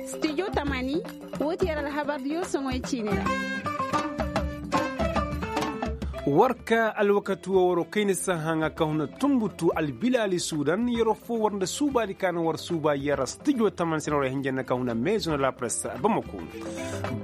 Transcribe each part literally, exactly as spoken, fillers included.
Stijo tamani, woo ti yer alhabar diyo soŋoy ciini ra. War ka alwakati woo waroo kayna sahaŋa ka huna tunbutu albilaali suudan yeroo foo war nda suubaadi ka na war suuba yer stijo tamani se na war hinja nda ka huna meezo nda lapress. Bamako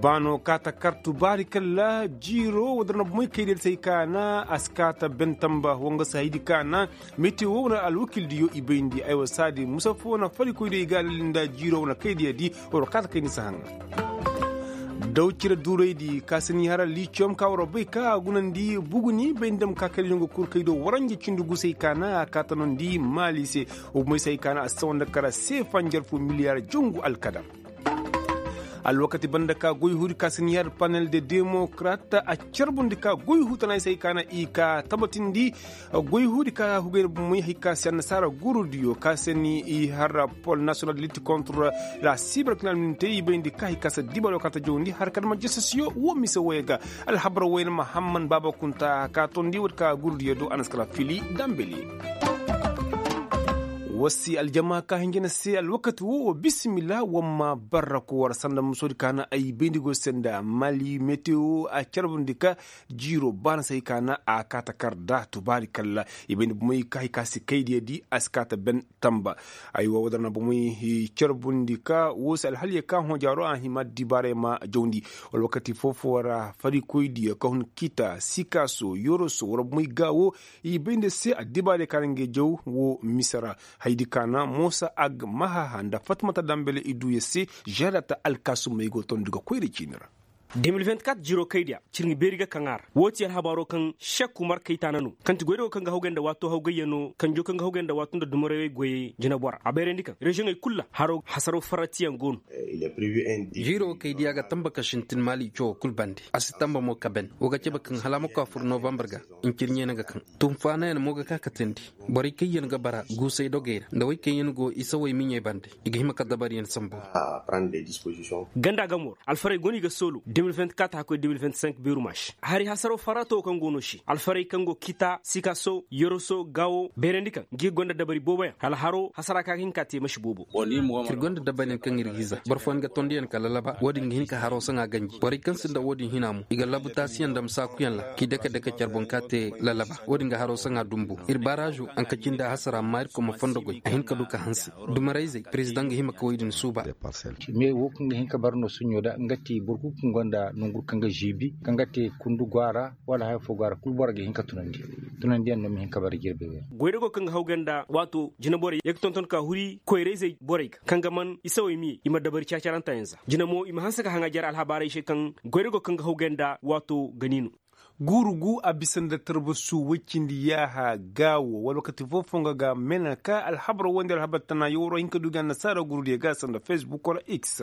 baano kaata kartu baari kalla jiiroo woo dar na bomoy kaydiyo se ay ka na a si kaata ben tamba woo nga se haydi ka na metiyo woo na alwakil diyo i bayndi aywa saadi musa foo na farikoy diyo i ga alali nda jiiroo woo na kaydiyo di. Waroo kaata kayni sahaŋa daw cire duuraydi ka se ni hara liiciyom ka waroo bay ka a gunandi buguni bay nda ma ka kaydiyo nga kul kaydiyo waranja cindi gusay ka na a kaata nondi maali se. Woo bomoy se ay ka na a sawa nda kara seefa njarfu miliyaar jangu alkadam. Alwakati banda ka goy huudi ka se ni hara panel de demokrat a carbundi ka goy huu tana ay se ay ka na i ka tabatindi. Goy huudi ka hugay na bomoy hay ka se annasaara gurudiyo ka se ni i har pol national de litte contre la cybercriminalité i bayndi ka hay ka se dibalo ka ta jawndi har ka dama jasasiyo woo mise woy ga. Alhabar woy na mahamman baaba kunta ka tondi woodi ka gurudiyo do a na si kala fili dambeli. Woo si aljama ka hinja na se alwakati woo woo bisimila woo ma barra ko war sanda musoodi ka na ay bayndi go se nda mali meteo a carbundi ka jiiroo baana se hay ka na a kaata kar da tubaari kalla i bayndi bomoy ka hay ka si kaydiyo di a si kaata ben tamba. Aywa woo dar na bomoy carbundi ka woo se alhaliyo ka hõ jaaroo a hima dibaaray ma jawndi. Wala wakati foo-foo ra farikoydiyo ka hun kita sikaaso yoroso wala bomoy gaawo i bay nda se addibaarey ka na ngey jaw woo mise ra. Hayadi ka na moosa agmahaha nda fatmata dambele i duu yer se žeerata alkaasumey go tondu ga koyra ciini ra. De mil vingt-quatre jiroo kaydiya cir nga beeri ga kaŋ a ra woo ti alhabaaroo kaŋ šek umar kaytaana no kaŋ ti goydago kaŋ ga hawgay nda waatoo hawgayyanoo kanjoo kaŋ ga hawgay nda waatoo nda dumarayey goyey jinebora a bayrandi kaŋ reziyoŋey kul ra haroo hasaroo faratiyaŋ go no. Jiiroo kaydiya ga tamba ka sintin maali cawoo kul bande a si tamba mo ka ben woo ga cebe kaŋ hala a ma koy a fur novambar ga. Ncirɲey na ga kaŋ tunfaanayaŋ mo ga ka katandi borey kaŋ yaŋ ga bara guusay dogey ra nda wey kaŋ yaŋ go isawey miɲey bande i ga hima ka dabaryaŋ sambu. Ganda ga moor alfarey go no i ga soolu de mil vingt-quatre hakkoy de mil vingt-cinq beeru maasi hari hasaroo farata woo kaŋ go no se alfarey kaŋ go kita sikaso yoroso gaawo bayrandi kaŋ ngi gonda dabari booboyaŋ hala haroo hasara ka ga hin ka te masi boobo. Ir gonda dabariyaŋ kaŋ ir ga iza boro fooyaŋ ga tondiyaŋ ka lalaba woo din ga hin ka haroo saŋa ganji borey kaŋ sinda woo din hina mo i ga labu taasiyaŋ dam saakuyaŋ ra k'i dake dake care boŋ ka te lalaba woo din ga haroo saŋa dumbu ir baaraazo anka cindi a hasara amma ir koma fondo goy a hin ka du ka hanse dumarayzey perezidaŋ ga hima ka wey din suuba. Me woo kaŋ ga hin ka bara no suɲo da nga te boro kul kaŋ gonda nongu kaŋ ga ziibi kaŋ ga te kundu go a ra wala haya foo go a ra kul boro ga hin ka tunandi. Tunandiyaŋ no ma hin ka bara jirbi. Goydago kaŋ ga hawgay nda waato jineborey ye ga tonton ka huri koyrayzey borey ga kaŋ ga man isawey miye i ma dabari caacarantayaŋ za jine mo i ma hanse ka haŋa jare alhabaarey se kaŋ goydago kaŋ ga hawgay nda waato ga ni no. Guuru gu a bisa nda tarbasu woy cindi yaaha gaawo wala wakati foo-foo nga ga mena ka alhabar woy nda alhabar tana yawro hin ka du ga annasaara guurudiyo ga sanda facebook wala x.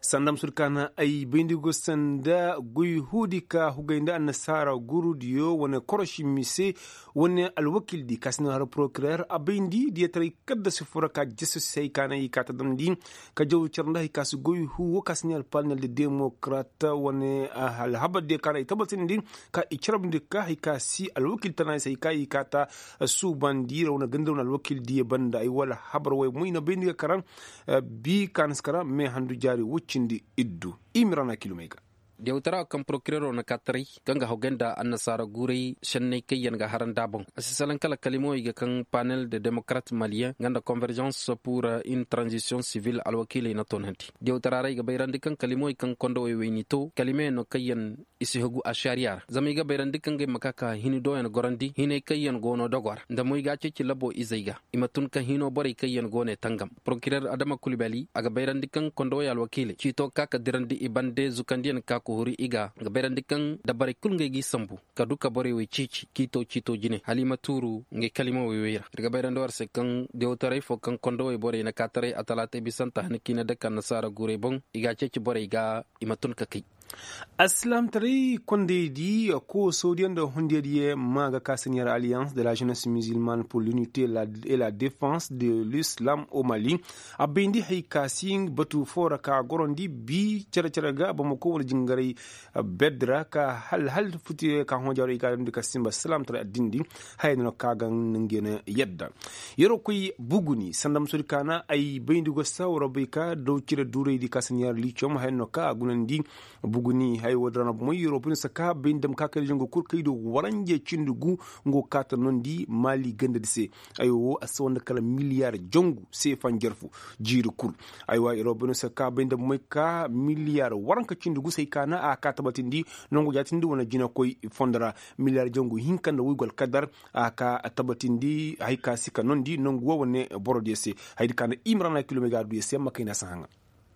Sanda ma sudu ka na ay bayndi go sanda goy huudi ka hugay nda annasaara guurudiyo wane koroši mise wane alwakildi ka si na har porokirer a bayndi diyataray kaddasi fura ka jeso si hay ka na i ka ta damndi ka jaw care nda hay ka si goy huu woo ka si ne alpanel de demokrat wane alhabar diyo ka na i tabatindi ka i carabndi ka hay ka si alwakil tana i si hay ka i ka ta suubandi ra wane ganda wane alwakil diyo banda ay wala habar way moy na bayndi ga karaŋ. Bi ka na si karaŋ me handu jaari woy cindi iddu. I ma ra na kilomey ga. Diyawtara kaŋ porokirero na ka taray kaŋ ga hawgay nda annasaara guuray senney kaŋ yaŋ ga hara nd'a boŋ a si salaŋ kala kalimawey ga kaŋ panel de demokrat maliyeŋ nga nda konverzans pur in tranzisiyoŋ sivil alwakiiley na toonandi. Diyawtara ra i ga bayrandi kaŋ kalimawey kaŋ kondowey wey n'i to kalimayaŋ no kaŋ yaŋ i si hagu ašariya ra zama i ga bayrandi kaŋ ga ay ma ka ka hini dooyaŋ gorandi hinay kaŋ yaŋ go no dogo ra nda mo i ga a ceeci labo izey ga. I ma tun ka hino borey kaŋ yaŋ go ne tangam porokirer adama kulbali a ga bayrandi kaŋ kondowey alwakiiley ciito ka ka dirandi i bande zukandiyaŋ ka ka huri i ga ga bayrandi kaŋ dabarey kul ngey g'i sambu ka du ka borey wey ceeci ciito ciito jine hala i ma tuuru ngey kalimawey wey ra ir ga bayrandi war se kaŋ dewtaray fo kaŋ kondowey borey na ka taray a talaatay bisanta hana ka i na dake annasaara guurey boŋ i ga a ceeci borey ga i ma tun ka kay. Alsilaamtaray kondaydi, koosodiyaŋ nda hundiyaŋ diyaŋ ma ga ka senior alliance de la jeunesse musulmane pour l'unité et la défense de l'islam au mali. A bayndi hay ka si batu foo ra ka a gorandi bi cere-cere ga bamako wane jingaray, beddi ra ka hal hal futi ka hõ jaaro i ga a damndi ka simba alsilaamtaray addin di. Haya no ka ga nga na yadda. Yeroo koy buguni sanda ma soodi kaana ay bayndi go sa waroo bay ka daw cire duuraydi ka si ɲaari liicom haya no ka a gunandi. Buguni haya woo din ra no bomoy yeroo bay no si ka bayndi dam ka kay da jangu kul kay do waranje cindi gu. Nga go kaata nondi maali ganda di se. Ay woo a si wanda kala miliyaar jangu seefa njarfu jiiri kul. Ay woo yeroo bay no si ka bayndi dam moy ka miliyaar waranka cindi gu se ay kaana a ka tabatindi. Nangu jaatindi wane jinakoy fondo ra miliyaar jangu hinka nda woy go alkadar. A ka tabatindi hay ka si ka nondi nangu woo wane borodiyo se. Hay di ka nda imrana kilomega du ya se yamma kayna si haŋa.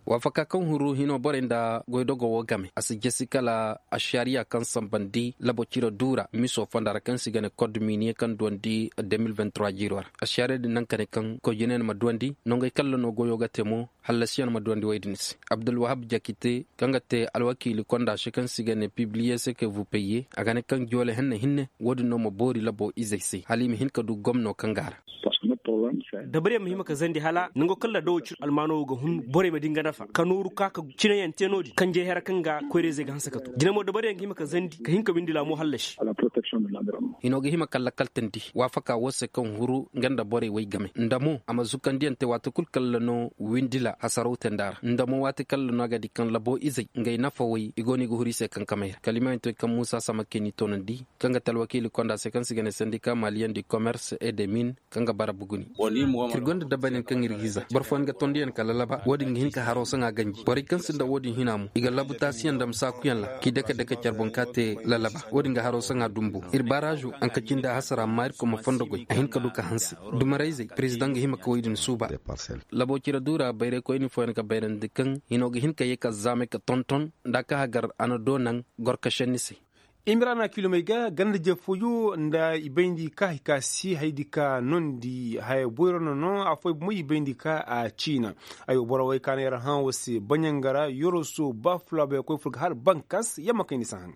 Waafaka kaŋ huru hino borey nda goydogo woo game a si jesi kala ašariya kaŋ sambandi labo cire duura miso fonda ra kaŋ se i ga ne kod miniye kaŋ duwandi de mil vingt trois jiiro ra. Ašariya din naŋ ka ne kaŋ koy jinay na ma duwandi nongey kaŋ ra no goyo ga te mo. Hallasiyaŋ ma duwandi woy din se abdulwahab jakite kaŋ ga te alwakiili konda se kaŋ se i ga ne pibliye se ke vupeye a ga ne kaŋ joole henne hinne woo din no ma boori labo izey se hala i ma hin ka du gomno kaŋ ga a ra. Dabariyaŋ ma hima ka zandi hala nango kaŋ ra dawo cir almaano wo ga hun borey ma di nga nafa ka nooru ka ka cinayaŋ te no-din kanjay hera kaŋ ga koyrayzey ga hanse ka to jina mo dabariyaŋ ga hima ka zandi ka hin ka windi laamo hallasi. Hino ga hima ka lakkal tandi waafaka woo se kaŋ huru nga nda borey woy game nda mo a ma zukandiyaŋ te waati kul kaŋ ra no windila hasaraw tenda ra nda mo waati kaŋ ra no a ga di kaŋ labo izey ngey nafa woy i go no i ga huru i se kankamey ra kala i ma hin to i kaŋ muusa sama keni toonandi. Kaŋ ga te alwakiili konda se kaŋ se i ga ne sendika maliyaŋ di komers et de min kaŋ ga bara buguni. Ir gonda dabariyaŋ kaŋ ir ga iza boro fooyaŋ ga tondiyaŋ ka lalaba woo din ga hin ka haroo saŋa ganji borey kaŋ sinda woo din hina mo i ga labu taasiyaŋ dam saakuyaŋ ra k'i dake dake care boŋ ka te lalaba woo din ga haroo saŋa dumbu ir baraazu. Anka cindi a hasara amma ir koma fondo goy a hin ka du ka hanse dumarayzey perezidaŋ ga hima ka woy din suuba. Labo cire duura bayraykoyni fooyaŋ ga bayrandi kaŋ hino ga hin ka ye ka zaamay ka tonton nda a ka hagar a na doo naŋ gorkašenni se. Imrana kilomey ga ganda jefooyo nda i bayndi ka hay ka si haydi ka nondi haya boyro no no afooyaŋ bomo i bayndi ka a ciina. Ay wo boro wey ka na yar hã wo se baɲangara yoroso ba fulaabey koy fur ga har bankas yamma kay ni si haŋ.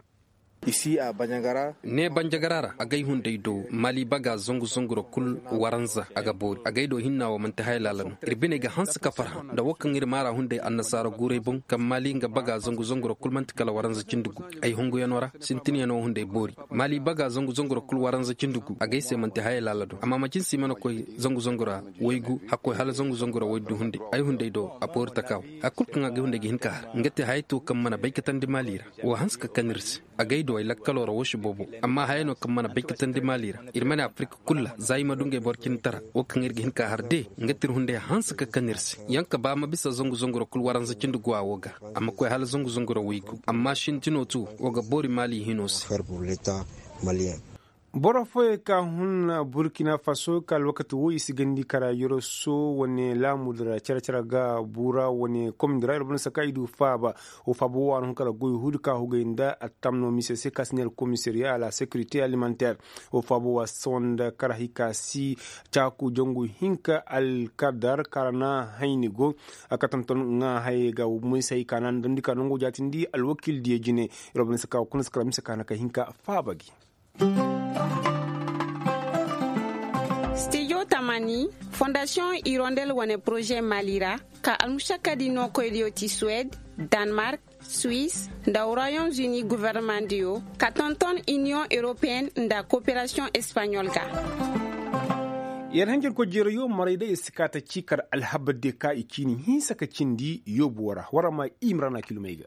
I si a baɲangara. Ne banjagara ra agay hunday do mali baga zangu zangu ra kul waranza a ga boori agay do hinna wo manti haya laala no. Ir biney ga hanse ka farhã nda wo kaŋ ir maara hunday annasaara guuray boŋ kaŋ mali nga baga zangu zangu ra kul manti kala waranza cindi gu. Ay honguyano ra sintiniyano hunday boori mali baga zangu zangu ra kul waranza cindi gu agay se manti haya laala do amma macin si mana koy zangu zangu ra waygu hakkoy hala zangu zangu ra waydu hunday. Ay hunday do a boori taka wo. Haya kul kaŋ agay hunday ga hin ka har nga te haya to kaŋ mana bay katandi mali ra. Wo hanse ka kan ir se. Agay do ay lakkaloo ra woo si boobo. Amma haya no kaŋ mana bay katandi maali ra. Ir ma ne afirka kul ra za i ma du ngey boro cindi tara. Woo kaŋ ir ga hin ka har de nga ti ir hunday hanse ka kan ir se. Yaŋ ka ba ma bisa zangu zangu ra kul waranza cindi guwa woo ga. A ma koy hala zangu zangu ra waygu amma sintinoo tu woo ga boori maali hino se. Boro fooyey ka hun burkina faso ka alwakati wo i si gandi kara yoroso wane laamu dira care care ga buura wane komni dira ir boro ni saka i du faaba. Wo faaba wo a na hun kala goy huudi ka hugay nda attamno mise se ka si ne alkomisariya a la securité alimentaire. Wo faaba wo a si sawa nda kara hay ka si caaku jangu hinka alkadar kara na hayni go. A ka tonton ŋaa hayey ga moy se hay ka na damndi ka nango jaatindi alwakiil diya jine. Ir boro ni saka wo kuna si kara mise ka na ka hinka faaba gi. Studio tamani, fondasiyoŋ irondel wane poroze mali ra, ka almušakadi nookoydiyo ti suwed, danmark, suwis, nda royaume uni governemandiyo, ka tonton iniyoŋ europeyen nda koperasiyoŋ espaɲol ga. Yer hanjarko jeerayo maray day i si kaa ta ciikar alhabar de ka i ciini hinsa ka cindi yoobuwo ra war ma imrana kilomey ga.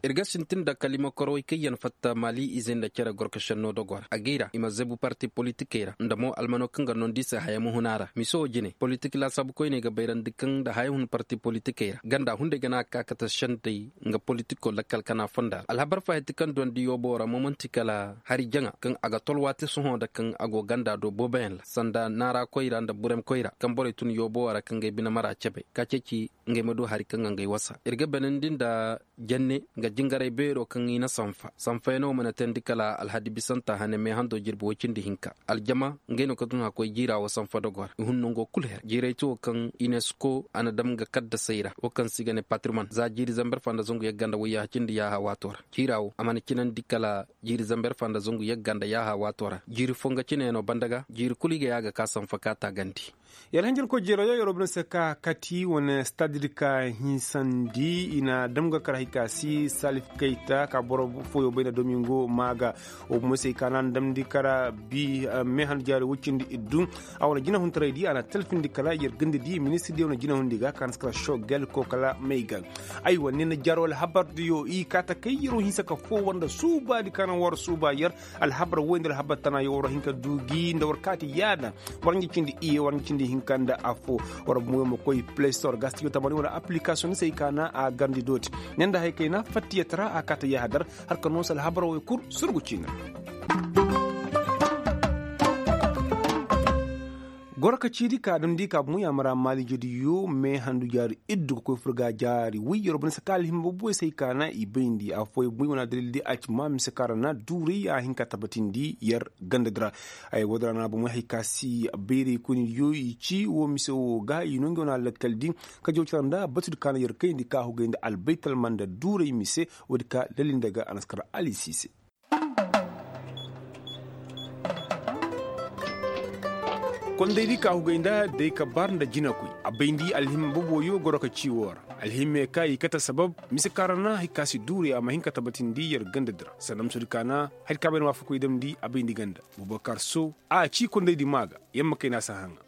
Ir ga sintin nda kalima korowey kaŋ yaŋ fatta mali izey nda cere gorkašenno dogo ra agay ra i ma zebu parti politikey ra nda mo almano kaŋ ga nondi i se haya ma hun a ra mise wo jine politik laasaabu koyney ga bayrandi kaŋ nda haya hun parti politikey ra ganda hunday ga na a ka kate sendey nga politiko lakkal kana fonda ra alhabar fahati kaŋ dondi yoobo ra mo manti kala hari jaŋa kaŋ a ga tolwaati sohõ nda kaŋ a go ganda do booboyaŋ ra sanda naara koyra nda burem koyra kaŋ borey tun yoobo ra kaŋ ga ay bine mara cebe ka ceeci ngey ma du hari kaŋ ga ngey wasa ir ga benandi nda jenne nga Jingaray beero kaŋ i na sanfa sanfa yaŋ no mana teendi kala alhadi bisanta hane meehando jirbi woy cindi hinka aljama. Ngey no ka tun hakkoy jiira wo sanfa dogo ra i hun nango kulu her jiiray ti wo kaŋ inesko a na dam ga kaddasey ra wo kaŋ se i ga ne patriman za jiiri zamber fa nda zangu yagga nda wayyaha cindi yaaha waato ra. Jiira wo a mana cinandi kala jiiri zamber fa nda zangu yagga nda yaaha waato ra jiiri fo nga cine no banda ga jiiri kulu i ga yaaga ka sanfa ka taagandi. Yalhanjankoy jeeroo yaŋ yeroo bine se ka kati wane stadidi ka hinsandi i na dam ga kar hay ka si salif kayta ka boro fooyoo bay nda domingo maa ga. Wo bumo se i ka na a na damndi kara bi meehan jaari woy cindi iddu. A wane jinahuntaray di a na talfindi kala yer ganda di ministir di wane jinahundi ga ka na si kara shogel ko kala may ga. Aywa ni na jaaroo alhabar diyo i kaata kay yeroo hinsa ka foo war nda suubaadi ka na war suuba yer. Alhabar woy nda alhabar tana yo war hin ka du gi nda war kaati yaada. War nga cindi iye war nga cindi hinka nda affo. War bumo yo ma koy play store ga stijo tamani wala application ni se i ka na a garndi dooti. Ne nda hay kay na fattiyat ra a kaata yaahadar. Har ka noosa alhabar woy kul surgu ciina. Goro ka ciidi ka damndi ka bumo yaamara maaliijediyo meehandu jaari iddu ka koy fur ga jaari woy yer wo bane se ka alhimma booboy se ay ka na i bayndi affooyaŋ bumo i wane adalil di a ci ma mise ka ra na duuray a hin ka tabatindi yer ganda di ra. Ay woodi ra na bumo hay ka si bayray koynidiyo i ci wo mise wo ga i no nga wane alakkal di ka jaw cara nda batudi ka na yer kayndi ka hugay nda albaytalma nda duuray mise. Woodi ka lalli nda ga a na si kar alisi se. Kondaydi ka hugay nda day ka bar nda jinakoy a bayndi alhimma boboyo goro ka ci woo ra. Alhimme ka i kate sabab mise ka ra na hari ka si duuray a ma hin ka tabatindi yer ganda di ra sanda musudi ka na hari ka bayndi waafakoy damndi a bayndi ganda. Bubakar sow a ci kondaydi maa ga. Yamma kayna si a haŋa.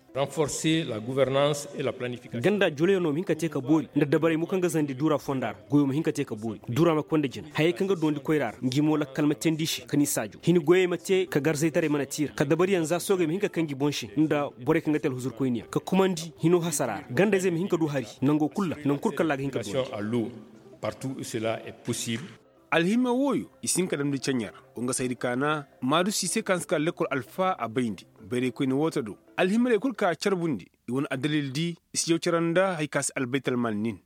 Ganda joloyaŋo ma hin ka te ka boori nda dabarey mo kaŋ ga zandi duura fonda ra goyo ma hin ka te ka boori. Duura ma konda jina hayey kaŋ ga doondi koyra ra ngi mo lakkal ma teendi i se ka ni saajo hini goyey ma te ka garzaytaray mana tiira ka dabariyaŋ za soogey ma hin ka kaŋ ngi boŋ se nda borey kaŋ ga te alhuzurkoyniyaŋ ka kumandi hino hasara ra gandayzey ma hin ka du hari. Nango kul ra nangu kul kaŋ ra a ga hin ka doondi. Alhima wooyo i si hin ka damndi ceɲe ra. Wa nga saydi ka na maadu siisey kaŋ si ka lekkol alfa a bayndi. Bayraykoyne woo ta do alhimarey kul ka carbundi. I wane addalil di i si jaw cara nda hari ka si albaytalmaal nin.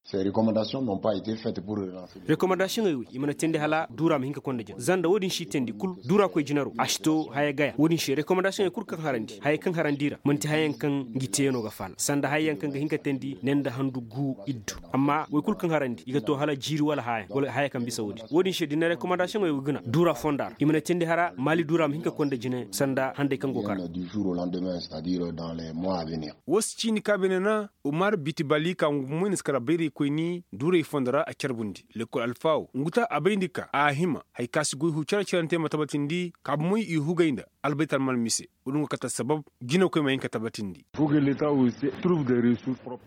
Rekomandasiyoŋey wey i mana teendi hala duura ma hin ka konda jina zanda woo din si teendi kul duura koy jinaro a si to haya gaya woo din se rekomandasiyoŋey kul kaŋ harandi hayey kaŋ harandi i ra man'ti hayayaŋ kaŋ ngi teeyaŋo ga faala sanda hayayaŋ kaŋ ga hin ka teendi ne nda handu gu iddu. Amma wey kul kaŋ harandi i ga to hala jiiri wala haya wala haya kaŋ bisa woo din woo din se da i na rekomandasiyoŋey wey guna duura fonda ra i mana teendi hala maali duura ma hin ka konda jina sanda handay kaŋ go kar. Woo si ciini ka beene na umar biti bali ka ngu moy na si kara bayraykoyni duuray fondo ra a carbundi lekkol alfa woo ngu ta a bayndi ka a hima hari ka si goy huu care carante ma tabatindi ka bumoy i hugay nda albaytalmaal mise. Woo din go kate sabab jinakoy ma hin ka tabatindi.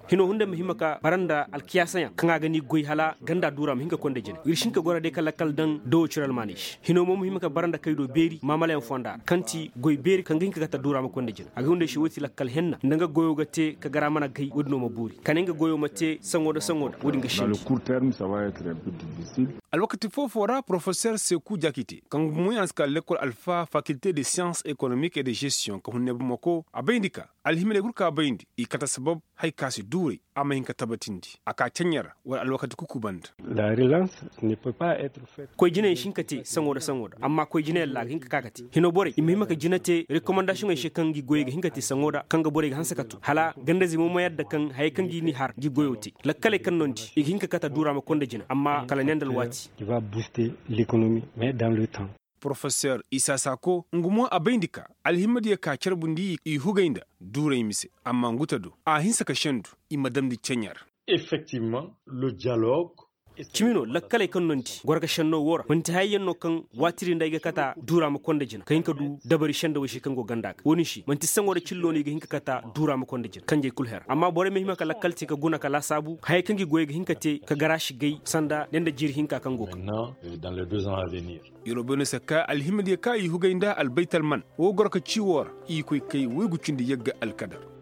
Hino hunday ma hima ka bara nda alkiyaasayaŋ kaŋ a ga ni goy hala ganda duura ma hin ka konda jina ir si hin ka goro day ka lakkal daŋ dawo cire almaaney se hino mo ma hima ka bara nda kaydo beeri maamalayaŋ fonda ra kaŋ ti goy beeri kaŋ ga hin ka kate duura ma konda jina a ga hunday se woo ti lakkal henna nda nga goyo ga te ka gara mana gay woo din no ma boori kala nga goyo ma te saŋo nda saŋo nda woo din ga sendi. Alwakati foo-foo ra porofeser seku jakite kaŋ ga moy a si ka lekkol alfa fakilte de siyans ekonomik e de gestiyoŋ ka hunney bamako a bayndi ka alhimarey kul ka bayndi i kate sabab hari ka si duuray a ma hin ka tabatindi a ka ceɲe ra wala alwakati kuku banda. Koy jinayaŋ si hin ka te saŋo nda saŋo nda amma koy jinayaŋ ra a ga hin ka ka ka te hino borey i ma hima ka jina te rekomandasiyoŋey se kaŋ ngi goyey ga hin ka te saŋo nda kaŋ ga borey ga hanse ka tun hala gandayzey mo ma yadda kaŋ hayey kaŋ gi ni har ngi goyo te lakkaley kaŋ no ni di i ga hin ka kate duura ma konda jina amma kala ne nda alwaati. Porofeser isa sako nga mo a bayndi ka alhimmadiyo ka carbundi i hugay nda duuray mise amma ngu ta do a hinsa ka sendu i ma damndi ceɲe ra. Cimi no lakkaley kaŋ no ni di goro ga senno woo ra man'ti hayey yaŋ no kaŋ waati din nda ay ga kata duura ma konda jina ka hin ka du dabari sendawey se kaŋ go ganda ga woo din se man'ti saŋo nda cillo no i ga hin ka kata duura ma konda jina kanjey kul her amma borey ma hima ka lakkal te ka guna ka laasaabu hayey kaŋ gi goyey ga hin ka te ka garaasi gay sanda ne nda jiiri hinka kaŋ go ga. Yeroo beene se ka alhimadiyo ka i hugay nda albaytalman woo goro ka ci woo ra i koy kay waygu cindi yagga alkadar.